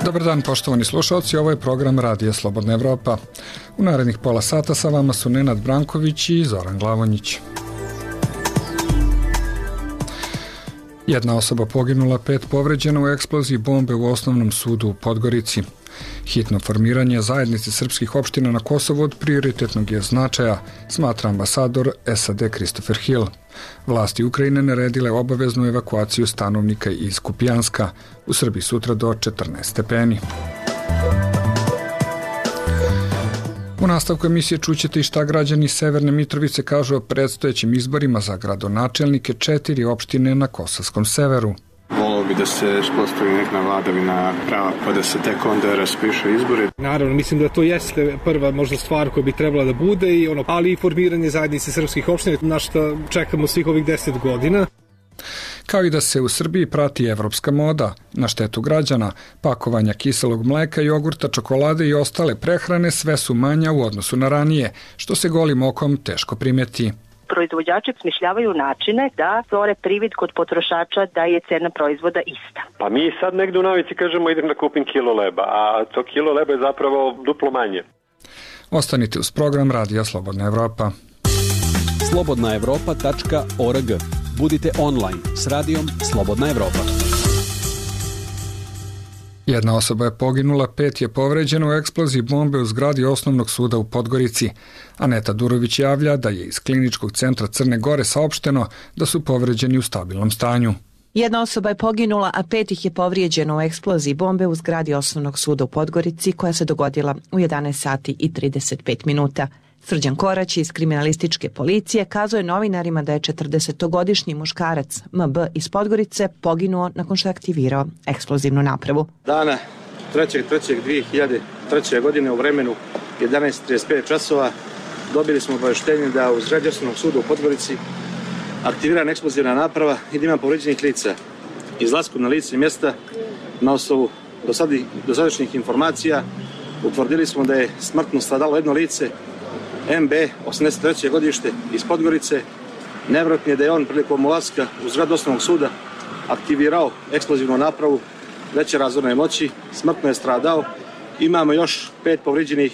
Dobar dan, poštovani slušalci, ovo je program Radija Slobodna Evropa. U narednih pola sata sa vama su Nenad Branković i Zoran Glavonjić. Jedna osoba poginula, 5 povređena u eksploziji bombe u Osnovnom sudu u Podgorici. Hitno formiranje zajednice srpskih opština na Kosovu od prioritetnog je značaja, smatra ambasador SAD Christopher Hill. Vlasti Ukrajine naredile obaveznu evakuaciju stanovnika iz Kupijanska, u Srbiji sutra do 14 stepeni. U nastavku emisije čućete i šta građani Severne Mitrovice kažu o predstojećim izborima za gradonačelnike 4 opštine na Kosovskom severu. Volio bi da se uspostavi neka vladavina prava pa da se tek onda raspiše izbore. Naravno, mislim da to jeste prva možda stvar koja bi trebala da bude, ali i formiranje zajednice srpskih opština, na što čekamo svih ovih 10 godina. Kao i da se u Srbiji prati evropska moda na štetu građana, pakovanja kiselog mleka, jogurta, čokolade i ostale prehrane sve su manja u odnosu na ranije, što se golim okom teško primeti. Proizvođači smišljavaju načine da stvore privid kod potrošača da je cena proizvoda ista. Pa mi sad negde u navici kažemo idem da kupim kilo leba, a to kilo leba je zapravo duplo manje. Ostanite uz program Radija Slobodna Evropa. slobodnaevropa.org. Budite online s radijom Slobodna Evropa. Jedna osoba je poginula, 5 je povređeno u eksploziji bombe u zgradi Osnovnog suda u Podgorici. Aneta Durović javlja da je iz Kliničkog centra Crne Gore saopšteno da su povređeni u stabilnom stanju. Jedna osoba je poginula, a 5 ih je povrijeđeno u eksploziji bombe u zgradi Osnovnog suda u Podgorici koja se dogodila u 11 sati i 35 minuta. Srđan Korać iz kriminalističke policije kazao je novinarima da je 40-godišnji muškarac MB iz Podgorice poginuo nakon što je aktivirao eksplozivnu napravu. Dana 3.3.2003. godine u vremenu 11:35 časova dobili smo obaveštenje da u zgradi Osnovnog suda u Podgorici aktivirana eksplozivna naprava i da ima povređenih lica. Izlaskom na lice mjesta na osnovu dosadašnjih informacija utvrdili smo da je smrtno stradalo jedno lice, MB, 83. godište iz Podgorice. Nevjerojatno je da je on prilikom ulaska u zgradu Osnovnog suda aktivirao eksplozivnu napravu veće razorne moći, smrtno je stradao. Imamo još 5 povrijeđenih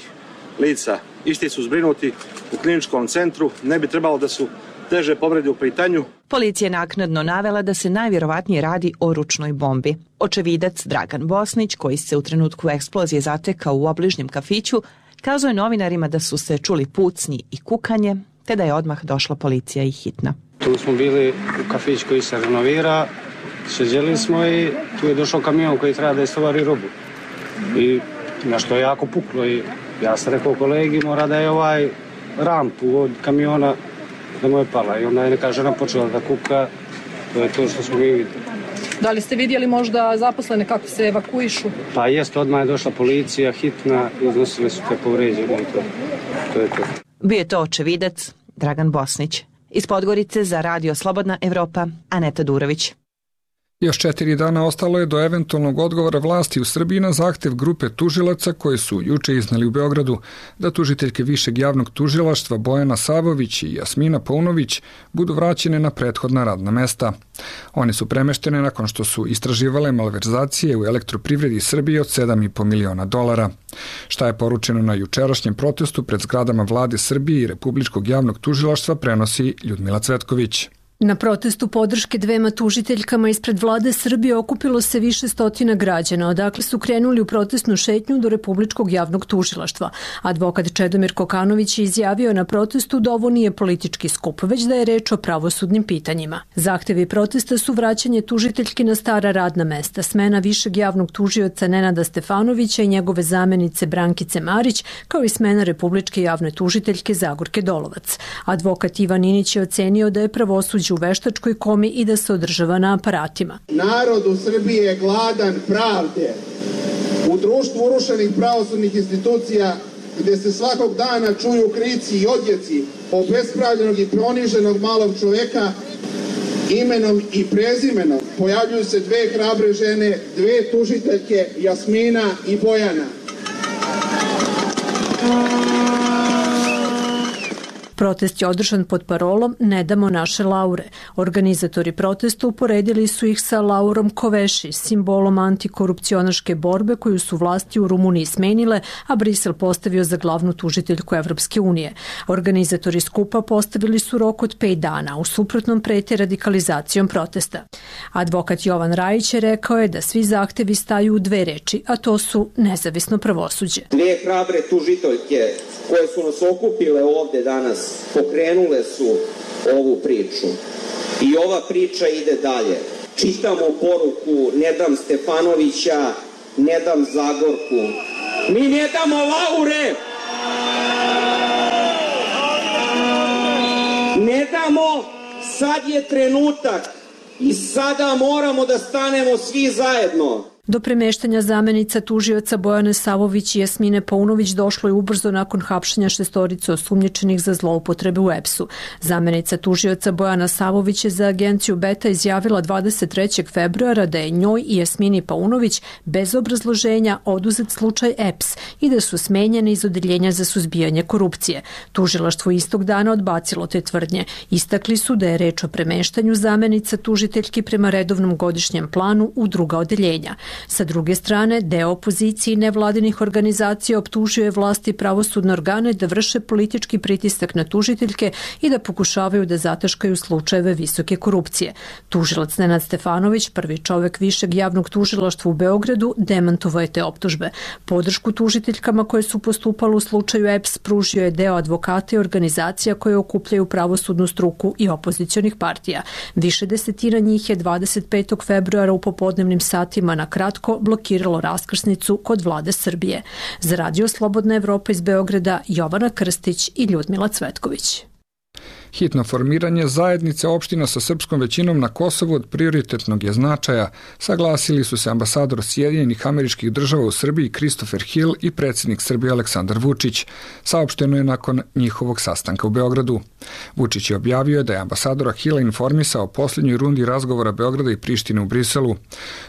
lica. Isti su zbrinuti u kliničkom centru, ne bi trebalo da su teže povrede u pitanju. Policija je naknadno navela da se najvjerovatnije radi o ručnoj bombi. Očevidac Dragan Bosnić, koji se u trenutku eksplozije zatekao u obližnjem kafiću, kazao je novinarima da su se čuli pucnji i kukanje, te da je odmah došla policija i hitna. Tu smo bili u kafić koji se renovira, sjeđeli smo i tu je došao kamion koji treba da istovari robu. I na što je jako puklo i ja sam rekao kolegi mora da je rampu od kamiona da mu je pala i onda je neka žena počela da kuka, to je to što smo mi vidjeli. Da li ste vidjeli možda zaposlene kako se evakuišu? Pa jest, odmah je došla policija, hitna, iznosili su te povređene i to je to. Bio je to očevidac Dragan Bosnić. Iz Podgorice za Radio Slobodna Evropa, Aneta Durović. Još 4 dana ostalo je do eventualnog odgovora vlasti u Srbiji na zahtev grupe tužilaca koje su juče izneli u Beogradu da tužiteljke Višeg javnog tužilaštva Bojana Savović i Jasmina Paunović budu vraćene na prethodna radna mesta. One su premeštene nakon što su istraživale malverzacije u elektroprivredi Srbije od $7,5 miliona. Šta je poručeno na jučerašnjem protestu pred zgradama vlade Srbije i Republičkog javnog tužilaštva prenosi Ljudmila Cvetković. Na protestu podrške dvema tužiteljkama ispred vlade Srbije okupilo se više stotina građana, odakle su krenuli u protestnu šetnju do Republičkog javnog tužilaštva. Advokat Čedomir Kokanović je izjavio na protestu da ovo nije politički skup, već da je reč o pravosudnim pitanjima. Zahtevi protesta su vraćanje tužiteljki na stara radna mesta, smena Višeg javnog tužioca Nenada Stefanovića i njegove zamenice Brankice Marić, kao i smena Republičke javne tužiteljke Zagorke Dolovac. Advokat Ivan Inić je ocenio da je pravosuđe u veštačkoj komi i da se održava na aparatima. Narod u Srbiji je gladan pravde. U društvu urušenih pravosudnih institucija gdje se svakog dana čuju krici i odjeci obespravljenog i poniženog malog čoveka imenom i prezimenom pojavljuju se 2 hrabre žene, 2 tužiteljke, Jasmina i Bojana. Protest je održan pod parolom Ne damo naše laure. Organizatori protesta uporedili su ih sa laurom Koveši, simbolom antikorupcionaške borbe koju su vlasti u Rumuniji smenile, a Brisel postavio za glavnu tužiteljku Evropske unije. Organizatori skupa postavili su rok od 5 dana, u suprotnom prete radikalizacijom protesta. Advokat Jovan Rajić je rekao je da svi zahtevi staju u 2 reči, a to su nezavisno pravosuđe. 2 hrabre tužiteljke koje su nas okupile ovde danas pokrenule su ovu priču. I ova priča ide dalje. Čitamo poruku Ne dam Stefanovića, ne dam Zagorku. Mi ne damo laure! Ne damo, sad je trenutak i sada moramo da stanemo svi zajedno. Do premeštanja zamenica tužioca Bojane Savović i Jasmine Paunović došlo je ubrzo nakon hapšenja 6 osumnjičenih za zloupotrebe u EPS-u. Zamenica tužioca Bojana Savović je za agenciju Beta izjavila 23. februara da je njoj i Jasmini Paunović bez obrazloženja oduzet slučaj EPS i da su smenjene iz odeljenja za suzbijanje korupcije. Tužilaštvo istog dana odbacilo te tvrdnje. Istakli su da je reč o premeštanju zamenica tužiteljki prema redovnom godišnjem planu u druga odeljenja. Sa druge strane, deo opozicije i nevladinih organizacija optužio je vlasti i pravosudne organe da vrše politički pritisak na tužiteljke i da pokušavaju da zataškaju slučajeve visoke korupcije. Tužilac Nenad Stefanović, prvi čovek Višeg javnog tužilaštva u Beogradu, demantovao je te optužbe. Podršku tužiteljkama koje su postupale u slučaju EPS pružio je deo advokata i organizacija koje okupljaju pravosudnu struku i opozicionih partija. Više desetina njih je 25. februara u popodnevnim satima na kratko blokiralo raskrsnicu kod vlade Srbije. Za Radio Slobodna Evropa iz Beograda, Jovana Krstić i Ljudmila Cvetković. Hitno formiranje zajednice opština sa srpskom većinom na Kosovu od prioritetnog je značaja, saglasili su se ambasador Sjedinjenih Američkih Država u Srbiji Christopher Hill i predsjednik Srbije Aleksandar Vučić. Saopšteno je nakon njihovog sastanka u Beogradu. Vučić je objavio da je ambasadora Hilla informisao o posljednjoj rundi razgovora Beograda i Prištine u Briselu.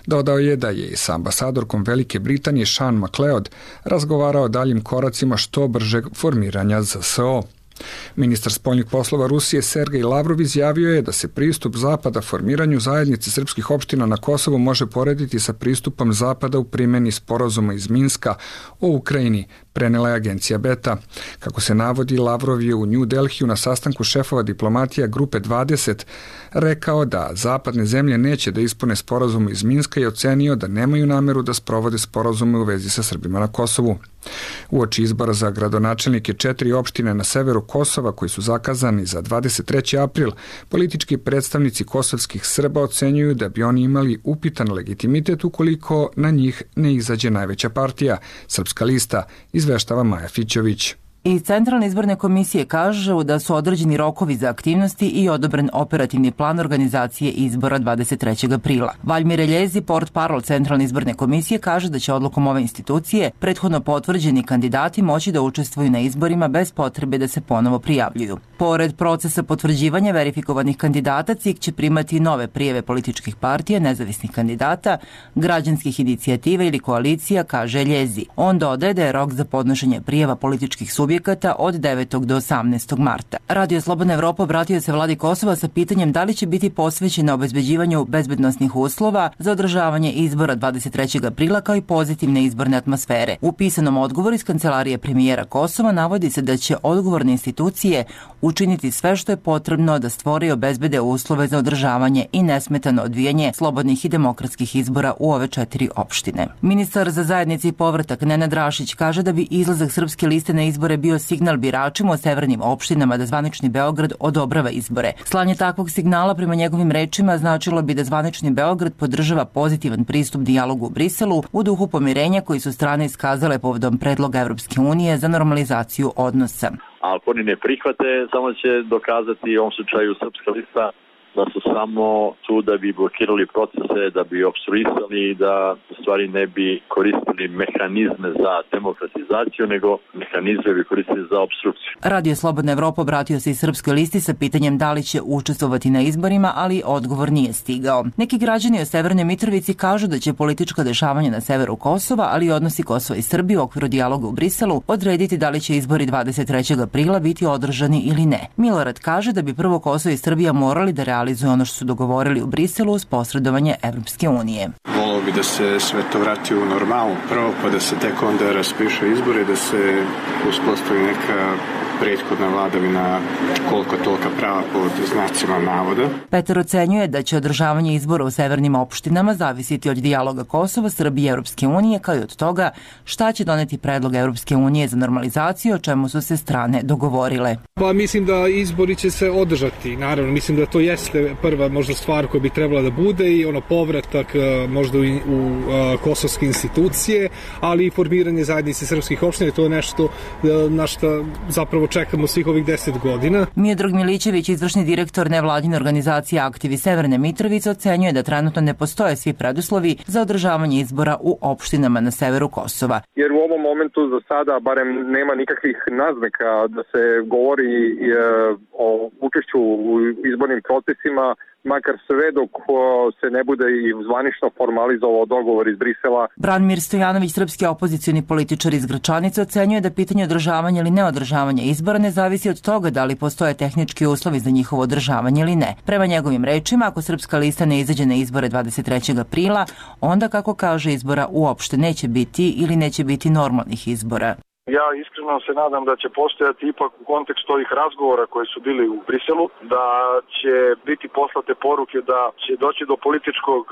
Dodao je da je i sa ambasadorkom Velike Britanije Sean McLeod razgovarao o daljim koracima što bržeg formiranja ZSO. Ministar spoljnih poslova Rusije Sergej Lavrov izjavio je da se pristup Zapada formiranju zajednice srpskih opština na Kosovu može porediti sa pristupom Zapada u primjeni sporazuma iz Minska o Ukrajini, prenela je agencija Beta. Kako se navodi, Lavrov je u New Delhiju na sastanku šefova diplomatija Grupe 20 rekao da zapadne zemlje neće da ispune sporazum iz Minska i ocenio da nemaju nameru da sprovode sporazume u vezi sa Srbima na Kosovu. Uoči izbora za gradonačelnike 4 opštine na severu Kosova koji su zakazani za 23. april, politički predstavnici kosovskih Srba ocenjuju da bi oni imali upitan legitimitet ukoliko na njih ne izađe najveća partija, Srpska lista, izveštava Maja Fićović. Iz Centralne izborne komisije kažu da su određeni rokovi za aktivnosti i odobren operativni plan organizacije izbora 23. aprila. Valjmir Eljezi, portparol Centralne izborne komisije, kaže da će odlukom ove institucije prethodno potvrđeni kandidati moći da učestvuju na izborima bez potrebe da se ponovo prijavljuju. Pored procesa potvrđivanja verifikovanih kandidata, CIK će primati nove prijeve političkih partija, nezavisnih kandidata, građanskih inicijativa ili koalicija, kaže Eljezi. On dodaje da je rok za podnošenje prijeva političkih subjekata od 9. do 18. marta. Radio Slobodna Evropa obratio se vladi Kosova sa pitanjem da li će biti posvećena obezbeđivanju bezbednosnih uslova za održavanje izbora 23. aprila kao i pozitivne izborne atmosfere. U pisanom odgovoru iz kancelarije premijera Kosova navodi se da će odgovorne institucije učiniti sve što je potrebno da stvore i obezbede uslove za održavanje i nesmetano odvijanje slobodnih i demokratskih izbora u ove 4 opštine. Ministar za zajednici i povratak Nenad Rašić kaže da bi izlazak Srpske liste na izbore bio signal biračima o severnim opštinama da zvanični Beograd odobrava izbore. Slanje takvog signala prema njegovim rečima značilo bi da zvanični Beograd podržava pozitivan pristup dijalogu u Briselu u duhu pomirenja koji su strane iskazale povodom predloga Evropske unije za normalizaciju odnosa. Ako oni ne prihvate, samo će dokazati u ovom slučaju Srpska lista da su samo tu da bi blokirali procese, da bi opstruisali, da u stvari ne bi koristili mehanizme za demokratizaciju, nego mehanizme bi koristili za opstrukciju. Radio Slobodna Evropa obratio se i Srpskoj listi sa pitanjem da li će učestvovati na izborima, ali odgovor nije stigao. Neki građani o Severnoj Mitrovici kažu da će politička dešavanja na severu Kosova, ali i odnosi Kosova i Srbije u okviru dijaloga u Briselu odrediti da li će izbori 23. aprila biti održani ili ne. Milorad kaže da bi prvo Kosovo i Srbija morali da realizuju ono što su dogovorili u Briselu uz posredovanje Evropske unije. Volio bi da se sve to vrati u normalu prvo, pa da se tek onda raspiše izbore, da se uspostavi neka prethodna vladavina koliko tolika prava pod znacima navoda. Petar ocenjuje da će održavanje izbora u severnim opštinama zavisiti od dijaloga Kosova, Srbije i Evropske unije, kao i od toga šta će doneti predlog Evropske unije za normalizaciju, o čemu su se strane dogovorile. Pa mislim da izbori će se održati, naravno, mislim da to jeste prva možda stvar koja bi trebala da bude i povratak možda u kosovske institucije, ali i formiranje zajednice srpskih opština, to je nešto na što zapravo čekamo svih ovih 10 godina. Miodrag Milićević, izvršni direktor nevladine organizacije Aktivi Severne Mitrovice, ocenjuje da trenutno ne postoje svi preduslovi za održavanje izbora u opštinama na severu Kosova. Jer u ovom momentu za sada barem nema nikakvih naznaka da se govori o učešću u izbornim procesima, makar sve dok se ne bude i zvanično formalizovao dogovor iz Brisela. Branimir Stojanović, srpski opozicioni političar iz Gračanice, ocenjuje da pitanje održavanja ili neodržavanja izbora ne zavisi od toga da li postoje tehnički uslovi za njihovo održavanje ili ne. Prema njegovim rečima, ako Srpska lista ne izađe na izbore 23. aprila, onda, kako kaže, izbora uopšte neće biti ili neće biti normalnih izbora. Ja iskreno se nadam da će postojati ipak u kontekstu ovih razgovora koji su bili u Briselu, da će biti poslate poruke da će doći do političkog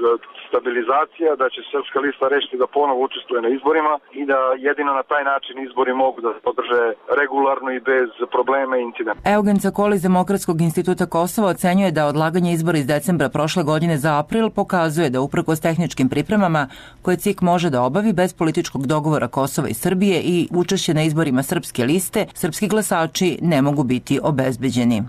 stabilizacija, da će Srpska lista rešiti da ponovo učestvuje na izborima i da jedino na taj način izbori mogu da se održe regularno i bez problema i incidenta. Eugen Cakoli iz Demokratskog instituta Kosova ocenjuje da odlaganje izbora iz decembra prošle godine za april pokazuje da uprkos tehničkim pripremama koje CIK može da obavi bez političkog dogovora Kosova i Srbije i učešće na izborima Srpske liste, srpski glasači ne mogu biti obezbeđeni.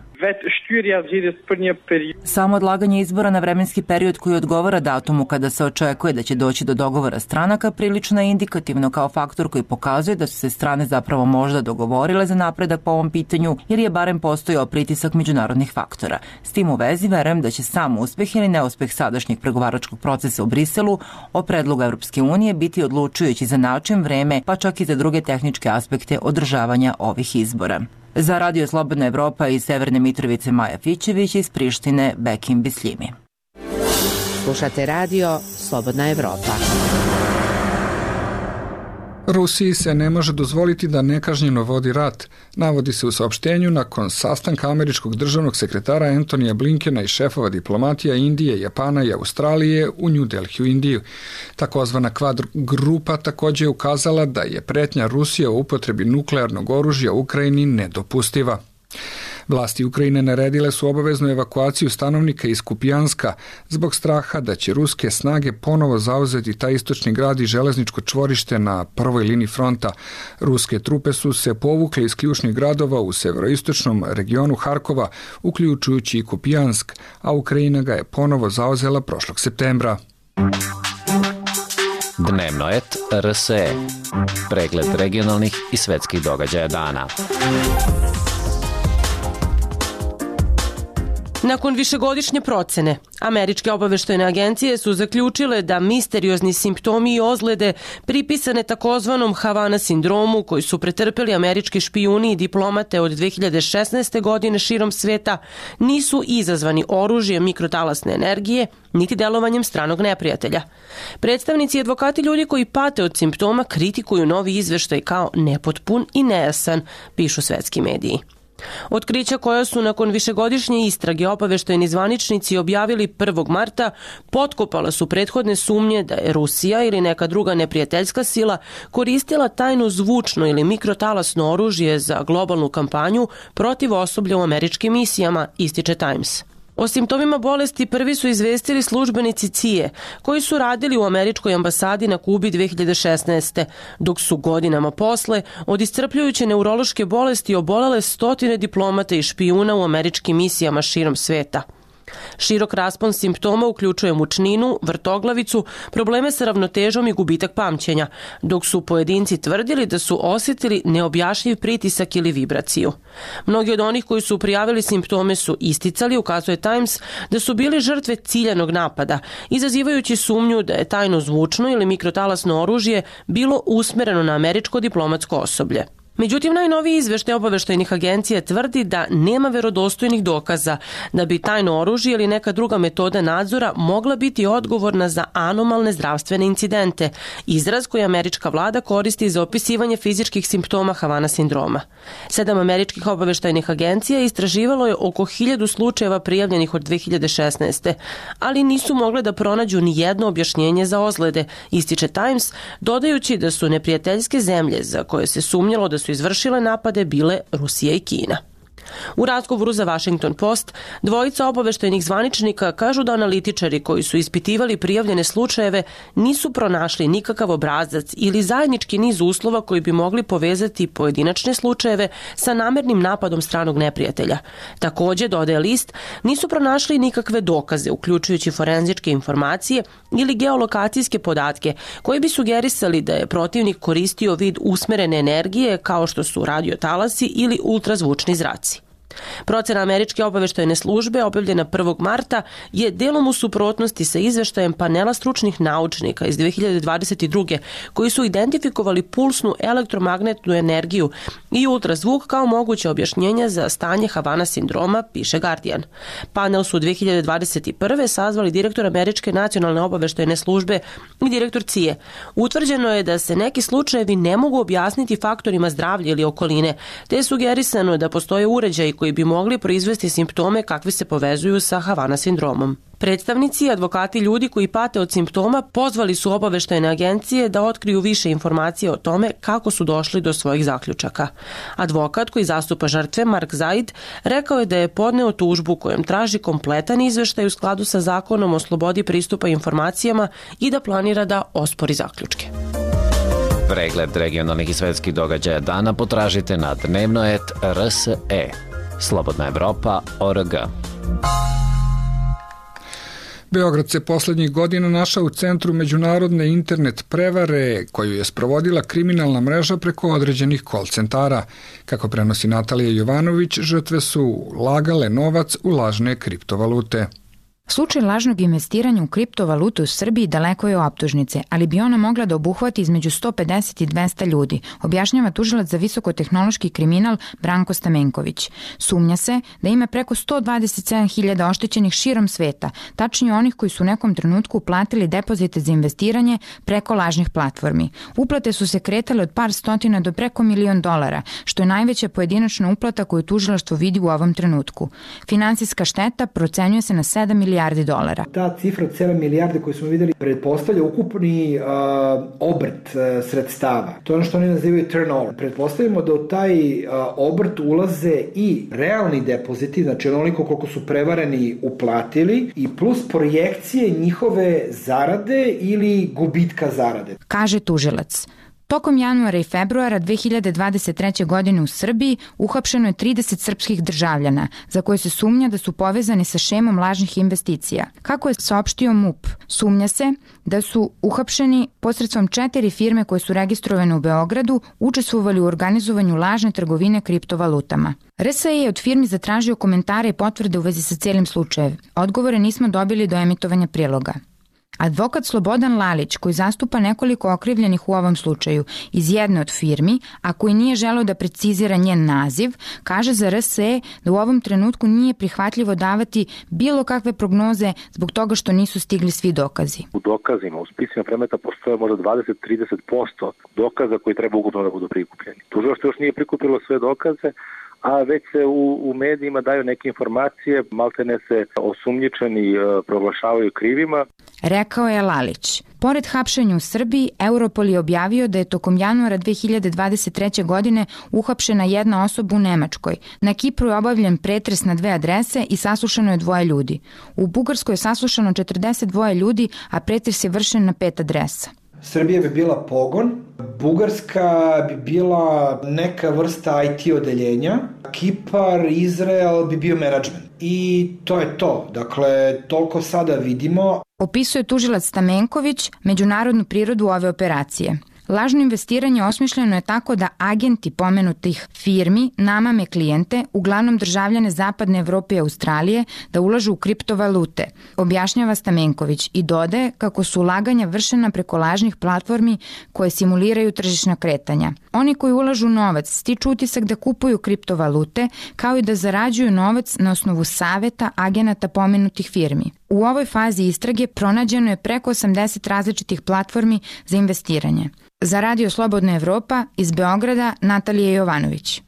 Samo odlaganje izbora na vremenski period koji odgovara datumu kada se očekuje da će doći do dogovora stranaka prilično je indikativno kao faktor koji pokazuje da su se strane zapravo možda dogovorile za napredak po ovom pitanju, jer je barem postojao pritisak međunarodnih faktora. S tim u vezi verujem da će sam uspeh ili neuspeh sadašnjeg pregovaračkog procesa u Briselu o predlogu Evropske unije biti odlučujući za način, vreme, pa čak i za druge tehničke aspekte održavanja ovih izbora. Za Radio Slobodna Evropa iz Severne Mitrovice Maja Fićević, iz Prištine Bekim Bisljimi. Slušate Radio Slobodna Evropa. Rusiji se ne može dozvoliti da nekažnjeno vodi rat, navodi se u saopštenju nakon sastanka američkog državnog sekretara Antonija Blinkena i šefova diplomatija Indije, Japana i Australije u New Delhi u Indiju. Takozvana Quad grupa također je ukazala da je pretnja Rusije o upotrebi nuklearnog oružja u Ukrajini nedopustiva. Vlasti Ukrajine naredile su obaveznu evakuaciju stanovnika iz Kupijanska zbog straha da će ruske snage ponovo zauzeti taj istočni grad i železničko čvorište na prvoj liniji fronta. Ruske trupe su se povukle iz ključnih gradova u severoistočnom regionu Harkova, uključujući i Kupijansk, a Ukrajina ga je ponovo zauzela prošlog septembra. Dnevnoet RSE. Pregled regionalnih i svetskih događaja dana. Nakon višegodišnje procene, američke obaveštajne agencije su zaključile da misteriozni simptomi i ozljede pripisane takozvanom Havana sindromu koji su pretrpeli američki špijuni i diplomate od 2016. godine širom sveta nisu izazvani oružjem mikrotalasne energije niti delovanjem stranog neprijatelja. Predstavnici i advokati ljudi koji pate od simptoma kritikuju novi izveštaj kao nepotpun i nejasan, pišu svetski mediji. Otkrića koja su nakon višegodišnje istrage obaveštajni zvaničnici objavili 1. marta potkopala su prethodne sumnje da je Rusija ili neka druga neprijateljska sila koristila tajno zvučno ili mikrotalasno oružje za globalnu kampanju protiv osoblja u američkim misijama, ističe Times. O simptomima bolesti prvi su izvestili službenici CIA, koji su radili u američkoj ambasadi na Kubi 2016. dok su godinama posle od iscrpljujuće neurološke bolesti obolele stotine diplomata i špijuna u američkim misijama širom sveta. Širok raspon simptoma uključuje mučninu, vrtoglavicu, probleme sa ravnotežom i gubitak pamćenja, dok su pojedinci tvrdili da su osjetili neobjašnjiv pritisak ili vibraciju. Mnogi od onih koji su prijavili simptome su isticali, ukazuje Times, da su bili žrtve ciljanog napada, izazivajući sumnju da je tajno zvučno ili mikrotalasno oružje bilo usmereno na američko diplomatsko osoblje. Međutim, najnoviji izveštaj obaveštajnih agencija tvrdi da nema verodostojnih dokaza da bi tajno oružje ili neka druga metoda nadzora mogla biti odgovorna za anomalne zdravstvene incidente, izraz koji američka vlada koristi za opisivanje fizičkih simptoma Havana sindroma. 7 američkih obaveštajnih agencija istraživalo je oko 1000 slučajeva prijavljenih od 2016. ali nisu mogle da pronađu ni jedno objašnjenje za ozljede, ističe Times, dodajući da su neprijateljske zemlje za koje se sumnjalo da su izvršile napade bile Rusija i Kina. U razgovoru za Washington Post, dvojica obaveštajnih zvaničnika kažu da analitičari koji su ispitivali prijavljene slučajeve nisu pronašli nikakav obrazac ili zajednički niz uslova koji bi mogli povezati pojedinačne slučajeve sa namernim napadom stranog neprijatelja. Takođe, dodaje list, nisu pronašli nikakve dokaze, uključujući forenzičke informacije ili geolokacijske podatke koji bi sugerisali da je protivnik koristio vid usmerene energije kao što su radiotalasi ili ultrazvučni zraci. Procena američke obaveštajne službe objavljena 1. marta je delom u suprotnosti sa izveštajem panela stručnih naučnika iz 2022. koji su identifikovali pulsnu elektromagnetnu energiju i ultrazvuk kao moguće objašnjenja za stanje Havana sindroma, piše Guardian. Panel su 2021. sazvali direktor američke nacionalne obaveštajne službe i direktor CIA. Utvrđeno je da se neki slučajevi ne mogu objasniti faktorima zdravlja ili okoline, te je sugerisano da postoje uređaji koji bi mogli proizvesti simptome kakvi se povezuju sa Havana sindromom. Predstavnici i advokati ljudi koji pate od simptoma pozvali su obaveštajne agencije da otkriju više informacije o tome kako su došli do svojih zaključaka. Advokat koji zastupa žrtve, Mark Zaid, rekao je da je podneo tužbu kojom traži kompletan izveštaj u skladu sa zakonom o slobodi pristupa informacijama i da planira da ospori zaključke. Pregled regionalnih i svetskih događaja dana potražite na dnevnoet.rse. Slobodna Evropa.org. Beograd se poslednjih godina našao u centru međunarodne internet prevare koju je sprovodila kriminalna mreža preko određenih call centara. Kako prenosi Natalija Jovanović, žrtve su lagale novac u lažne kriptovalute. Slučaj lažnog investiranja u kriptovalutu u Srbiji daleko je optužnice, ali bi ona mogla da obuhvati između 150 i 200 ljudi, objašnjava tužilac za visokotehnološki kriminal Branko Stamenković. Sumnja se da ima preko 127.000 oštećenih širom sveta, tačnije onih koji su u nekom trenutku uplatili depozite za investiranje preko lažnih platformi. Uplate su se kretale od par stotina do preko $1.000.000, što je najveća pojedinačna uplata koju tužilaštvo vidi u ovom trenutku. Finansijska šteta procenjuje se na $7 milijardi. Ta cifra od 7 milijarde koju smo videli pretpostavlja ukupni obrt sredstava. To je ono što oni nazivaju turnover. Pretpostavimo da u taj obrt ulaze i realni depoziti, znači onoliko koliko su prevareni uplatili, i plus projekcije njihove zarade ili gubitka zarade. Kaže tužilac. Tokom januara i februara 2023. godine u Srbiji uhapšeno je 30 srpskih državljana, za koje se sumnja da su povezani sa šemom lažnih investicija. Kako je saopštio MUP, sumnja se da su uhapšeni posredstvom 4 firme koje su registrovane u Beogradu, učestvovali u organizovanju lažne trgovine kriptovalutama. RSA je od firmi zatražio komentare i potvrde u vezi sa cijelim slučajem. Odgovore nismo dobili do emitovanja priloga. Advokat Slobodan Lalić, koji zastupa nekoliko okrivljenih u ovom slučaju iz jedne od firmi, a koji nije želeo da precizira njen naziv, kaže za RSE da u ovom trenutku nije prihvatljivo davati bilo kakve prognoze zbog toga što nisu stigli svi dokazi. U dokazima, u spisima predmeta postoje možda 20-30% dokaza koji treba ukupno da budu prikupljeni. Tužilaštvo još nije prikupilo sve dokaze, a već se u medijima daju neke informacije, maltene se osumnjičeni proglašavaju krivima. Rekao je Lalić. Pored hapšenja u Srbiji, Europol je objavio da je tokom januara 2023. godine uhapšena jedna osoba u Nemačkoj. Na Kipru je obavljen pretres na 2 adrese i saslušano je 2 ljudi. U Bugarskoj je saslušano 42 ljudi, a pretres je vršen na 5 adresa. Srbija bi bila pogon, Bugarska bi bila neka vrsta IT odeljenja, Kipar, Izrael bi bio menadžment. i to je to. Dakle, toliko sada vidimo. Opisuje tužilac Stamenković međunarodnu prirodu ove operacije. Lažno investiranje osmišljeno je tako da agenti pomenutih firmi namame klijente, uglavnom državljane Zapadne Evrope i Australije, da ulažu u kriptovalute, objašnjava Stamenković i dodaje kako su ulaganja vršena preko lažnih platformi koje simuliraju tržišna kretanja. Oni koji ulažu novac stiču utisak da kupuju kriptovalute, kao i da zarađuju novac na osnovu saveta agenata pomenutih firmi. U ovoj fazi istrage pronađeno je preko 80 različitih platformi za investiranje. Za Radio Slobodna Evropa iz Beograda Natalija Jovanović.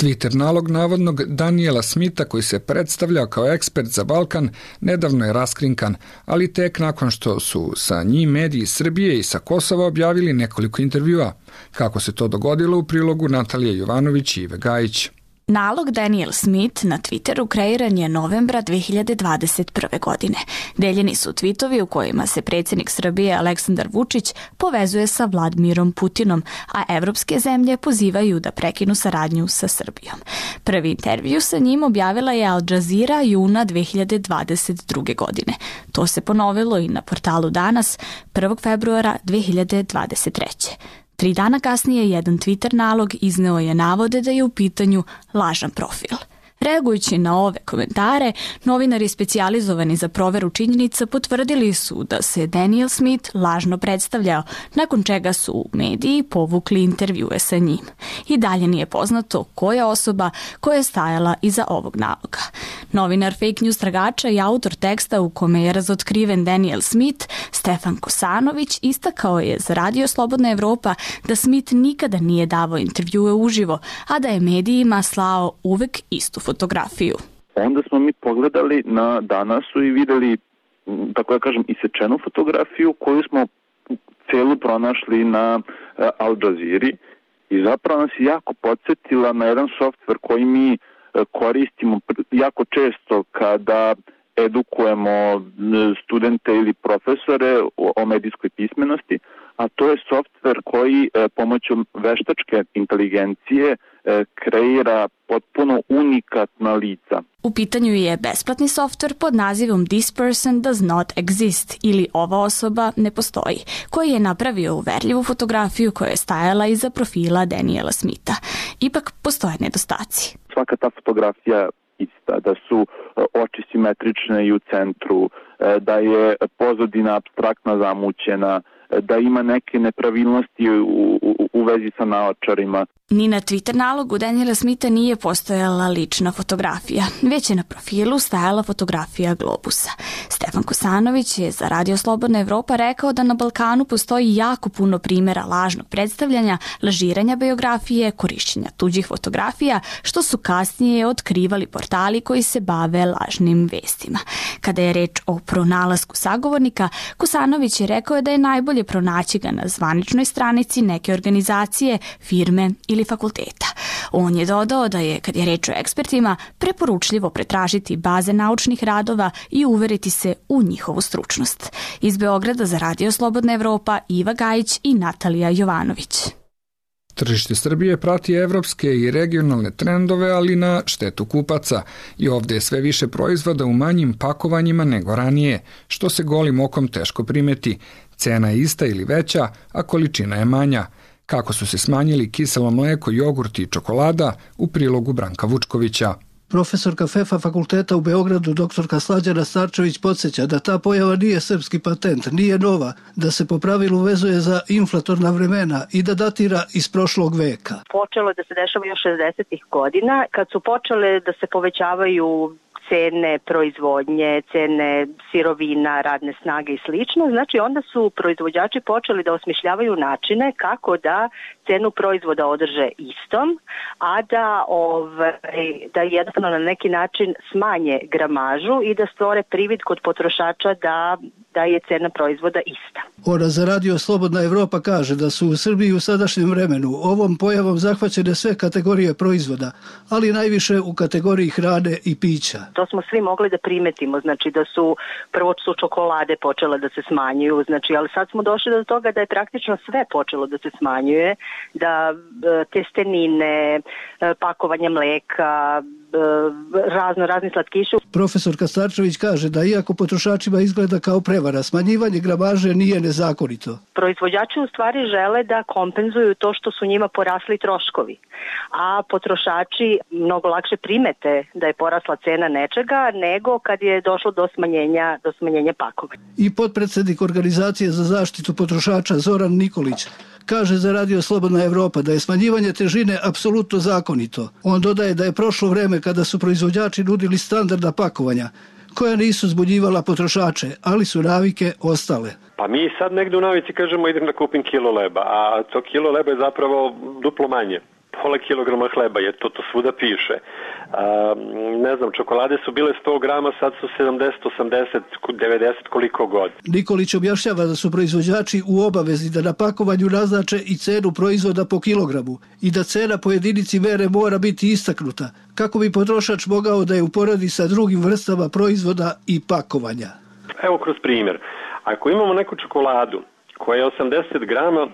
Twitter nalog navodnog Daniela Smitha, koji se predstavljao kao ekspert za Balkan, nedavno je raskrinkan, ali tek nakon što su sa njim mediji Srbije i sa Kosova objavili nekoliko intervjua. Kako se to dogodilo, u prilogu Natalija Jovanović i Ive Gajić. Nalog Daniel Smith na Twitteru kreiran je novembra 2021. godine. Deljeni su tvitovi u kojima se predsjednik Srbije Aleksandar Vučić povezuje sa Vladimirom Putinom, a evropske zemlje pozivaju da prekinu saradnju sa Srbijom. Prvi intervju sa njim objavila je Al Jazeera juna 2022. godine. To se ponovilo i na portalu Danas 1. februara 2023. 3 dana kasnije jedan Twitter nalog izneo je navode da je u pitanju lažan profil. Reagujući na ove komentare, novinari specijalizovani za proveru činjenica potvrdili su da se Daniel Smith lažno predstavljao, nakon čega su mediji povukli intervjue sa njim. I dalje nije poznato koja je osoba koja je stajala iza ovog naloga. Novinar fake news tragača i autor teksta u kome je razotkriven Daniel Smith, Stefan Kosanović, istakao je za Radio Slobodna Evropa da Smith nikada nije davao intervjue uživo, a da je medijima slao uvek istu fotografiju. Onda smo mi pogledali na Danasu i videli, tako da kažem, isečenu fotografiju koju smo celu pronašli na Al Jazeera i zapravo nas je jako podsjetila na jedan softver koji mi koristimo jako često kada edukujemo studente ili profesore o medijskoj pismenosti, a to je softver koji pomoću veštačke inteligencije kreira potpuno unikatna lica. U pitanju je besplatni softver pod nazivom This person does not exist ili ova osoba ne postoji, koji je napravio uverljivu fotografiju koja je stajala iza profila Daniela Smitha. Ipak postoje nedostaci. Svaka ta fotografija ista, da su oči simetrične i u centru, da je pozadina apstraktna zamućena, da ima neke nepravilnosti u vezi sa naočarima. Ni na Twitter nalogu Daniela Smitha nije postojala lična fotografija, već je na profilu stajala fotografija globusa. Stefan Kosanović je za Radio Slobodna Evropa rekao da na Balkanu postoji jako puno primjera lažnog predstavljanja, lažiranja biografije, korišćenja tuđih fotografija, što su kasnije otkrivali portali koji se bave lažnim vestima. Kada je reč o pronalasku sagovornika, Kosanović je rekao da je najbolje pronaći ga na zvaničnoj stranici neke organizacije, firme ili fakulteta. On je dodao da je, kad je reč o ekspertima, preporučljivo pretražiti baze naučnih radova i uveriti se u njihovu stručnost. Iz Beograda za Radio Slobodna Evropa Iva Gajić i Natalija Jovanović. Tržište Srbije prati evropske i regionalne trendove, ali na štetu kupaca. I ovdje je sve više proizvoda u manjim pakovanjima nego ranije, što se golim okom teško primeti. Cena je ista ili veća, a količina je manja. Kako su se smanjili kiselo mleko, jogurt i čokolada, u prilogu Branka Vučkovića. Profesorka FEFA fakulteta u Beogradu, doktorka Slađana Starčević, podsjeća da ta pojava nije srpski patent, nije nova, da se po pravilu vezuje za inflatorna vremena i da datira iz prošlog veka. Počelo je da se dešava još 60-ih godina, kad su počele da se povećavaju cene proizvodnje, cene sirovina, radne snage i slično. Znači onda su proizvođači počeli da osmišljavaju načine kako da cenu proizvoda održe istom, a da jednostavno na neki način smanje gramažu i da stvore privid kod potrošača da je cena proizvoda ista. Ona za Radio Slobodna Evropa kaže da su u Srbiji u sadašnjem vremenu ovom pojavom zahvaćene sve kategorije proizvoda, ali najviše u kategoriji hrane i pića. To smo svi mogli da primetimo, znači da su prvo su čokolade počele da se smanjuju, znači, ali sad smo došli do toga da je praktično sve počelo da se smanjuje, da testenine, pakovanje mleka, razni slatkiši. Profesorka Starčević kaže da iako potrošačima izgleda kao prevara, smanjivanje gramaže nije nezakonito. Proizvođači u stvari žele da kompenzuju to što su njima porasli troškovi, a potrošači mnogo lakše primete da je porasla cena nečega nego kad je došlo do smanjenja pakovanja. I potpredsednik Organizacije za zaštitu potrošača Zoran Nikolić kaže za Radio Slobodna Evropa da je smanjivanje težine apsolutno zakonito. On dodaje da je prošlo vreme kada su proizvođači nudili standardna pakovanja, koja nisu zbunjivala potrošače, ali su navike ostale. Pa mi sad negde u navici kažemo idem da kupim kilo leba, a to kilo leba je zapravo duplo manje. Pola kilograma hleba, jer to svuda piše. Ne znam, čokolade su bile 100 grama, sad su 70, 80, 90, koliko god. Nikolić objašnjava da su proizvođači u obavezi da na pakovanju naznače i cenu proizvoda po kilogramu i da cena po jedinici mere mora biti istaknuta, kako bi potrošač mogao da je uporedi sa drugim vrstama proizvoda i pakovanja. Evo kroz primjer. Ako imamo neku čokoladu koja je 80 grama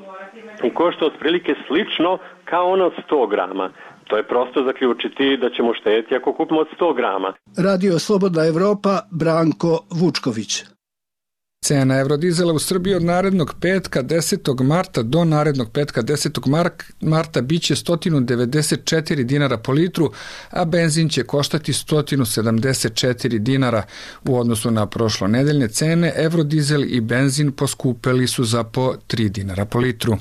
i košta otprilike slično kao ona od 100 grama, to je prosto zaključiti da ćemo štedjeti ako kupimo od 100 grama. Radio Slobodna Evropa, Branko Vučković. Cena eurodizela u Srbiji od narednog petka 10. marta do narednog petka 10. marta biće 194 dinara po litru, a benzin će koštati 174 dinara. U odnosu na prošlonedeljne cene, eurodizel i benzin poskupeli su za po 3 dinara po litru.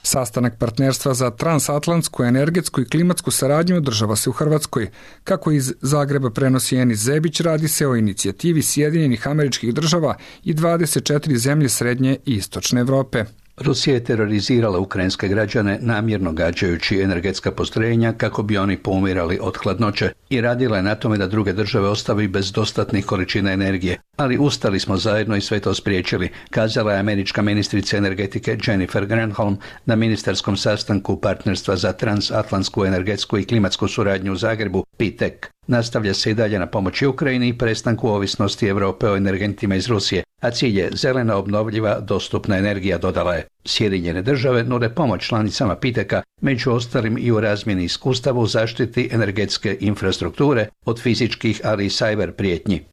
Sastanak partnerstva za transatlantsku, energetsku i klimatsku saradnju održava se u Hrvatskoj. Kako iz Zagreba prenosi Enis Zebić, radi se o inicijativi Sjedinjenih Američkih Država i 24 zemlje Srednje i Istočne Evrope. Rusija je terorizirala ukrajinske građane namjerno gađajući energetska postrojenja kako bi oni poumirali od hladnoće i radila je na tome da druge države ostavi bez dostatnih količina energije. Ali ustali smo zajedno i sve to spriječili, kazala je američka ministrica energetike Jennifer Granholm na ministarskom sastanku partnerstva za transatlantsku energetsku i klimatsku suradnju u Zagrebu, PTEC. Nastavlja se i dalje na pomoći Ukrajini i prestanku ovisnosti Europe o energentima iz Rusije, a cilj je zelena, obnovljiva, dostupna energija, dodala je. Sjedinjene države nude pomoć članicama PTEC-a, među ostalim i u razmjeni iskustava u zaštiti energetske infrastrukture od fizičkih, ali i cyber prijetnji.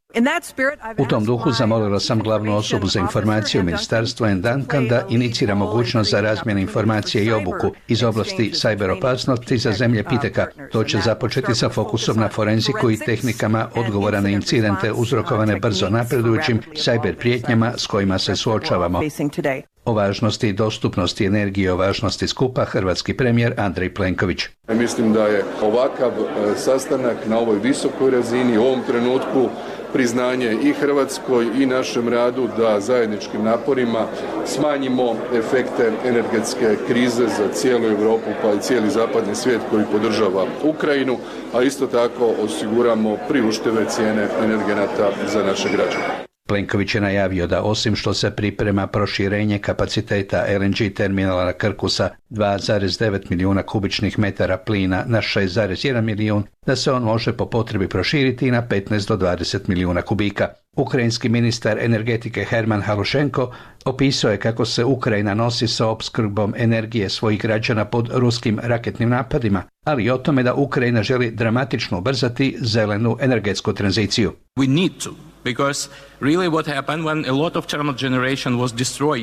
U tom duhu zamolila sam glavnu osobu za informacije u ministarstvu Ann Duncan da inicira mogućnost za razmjenu informacije i obuku iz oblasti cyber opasnosti za zemlje PTEC-a. To će započeti sa fokusom na forenziku i tehnikama odgovora na incidente uzrokovane brzo napredujućim cyber prijetnjama s kojima se suočavamo. O važnosti i dostupnosti energije, o važnosti skupa hrvatski premijer Andrej Plenković. Mislim da je ovakav sastanak na ovoj visokoj razini u ovom trenutku priznanje i Hrvatskoj i našem radu da zajedničkim naporima smanjimo efekte energetske krize za cijelu Europu pa i cijeli zapadni svijet koji podržava Ukrajinu, a isto tako osiguramo priuštive cijene energenata za naše građane. Plenković je najavio da osim što se priprema proširenje kapaciteta LNG terminala na Krku sa 2,9 milijuna kubičnih metara plina na 6,1 milijun, da se on može po potrebi proširiti na 15 do 20 milijuna kubika. Ukrajinski ministar energetike Herman Halušenko opisao je kako se Ukrajina nosi sa opskrbom energije svojih građana pod ruskim raketnim napadima, ali i o tome da Ukrajina želi dramatično ubrzati zelenu energetsku tranziciju.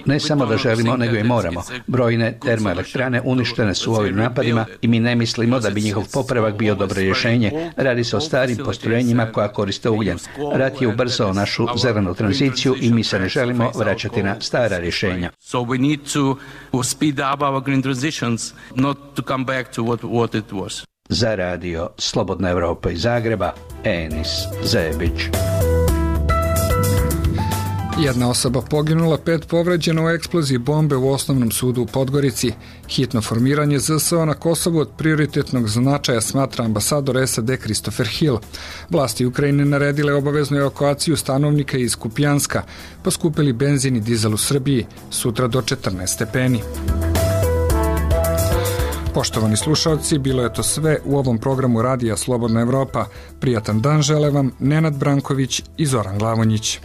Ne samo da želimo, nego i moramo. Brojne termoelektrane uništene su ovim napadima i mi ne mislimo da bi njihov popravak bio dobro rješenje. Radi se o starim postrojenjima koja koriste ugljen. Rat je ubrzao našu zelenu tranziciju i mi se ne želimo vraćati na stara rješenja. Za radio Slobodna Evropa iz Zagreba, Enis Zebić. Jedna osoba poginula, 5 povređeno u eksploziji bombe u osnovnom sudu u Podgorici. Hitno formiranje ZSO na Kosovu od prioritetnog značaja smatra ambasador SAD Christopher Hill. Vlasti Ukrajine naredile obaveznu evakuaciju stanovnika iz Kupijanska, poskupili benzin i dizel u Srbiji, sutra do 14 stepeni. Poštovani slušalci, bilo je to sve u ovom programu Radija Slobodna Evropa. Prijatan dan žele vam Nenad Branković i Zoran Glavonjić.